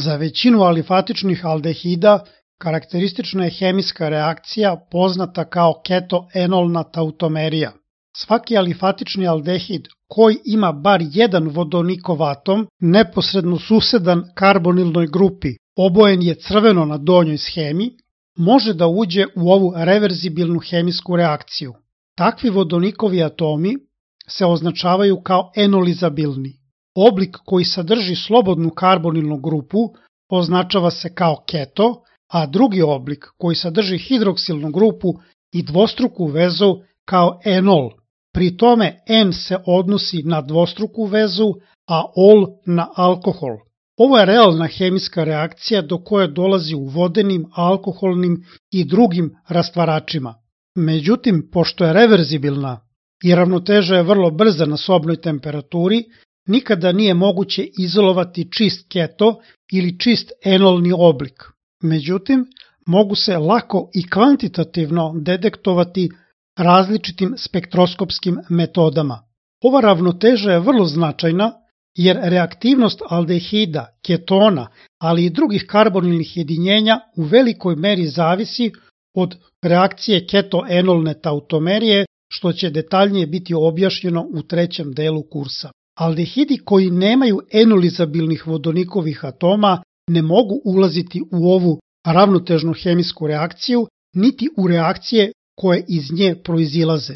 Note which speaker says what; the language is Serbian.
Speaker 1: Za većinu alifatičnih aldehida karakteristična je hemijska reakcija poznata kao ketoenolna tautomerija. Svaki alifatični aldehid koji ima bar jedan vodonikov atom neposredno susedan karbonilnoj grupi, obojen je crveno na donjoj shemi, može da uđe u ovu reverzibilnu hemijsku reakciju. Takvi vodonikovi atomi se označavaju kao enolizabilni. Oblik koji sadrži slobodnu karbonilnu grupu označava se kao keto, a drugi oblik koji sadrži hidroksilnu grupu i dvostruku vezu kao enol. Pri tome en se odnosi na dvostruku vezu, a ol na alkohol. Ovo je realna hemijska reakcija do koje dolazi u vodenim, alkoholnim i drugim rastvaračima. Međutim, pošto je reverzibilna i ravnoteža je vrlo brza na sobnoj temperaturi, nikada nije moguće izolovati čist keto ili čist enolni oblik. Međutim, mogu se lako i kvantitativno detektovati različitim spektroskopskim metodama. Ova ravnoteža je vrlo značajna jer reaktivnost aldehida, ketona, ali i drugih karbonilnih jedinjenja u velikoj meri zavisi od reakcije ketoenolne tautomerije, što će detaljnije biti objašnjeno u trećem delu kursa. Aldehidi koji nemaju enolizabilnih vodonikovih atoma ne mogu ulaziti u ovu ravnotežnu hemijsku reakciju, niti u reakcije koje iz nje proizilaze.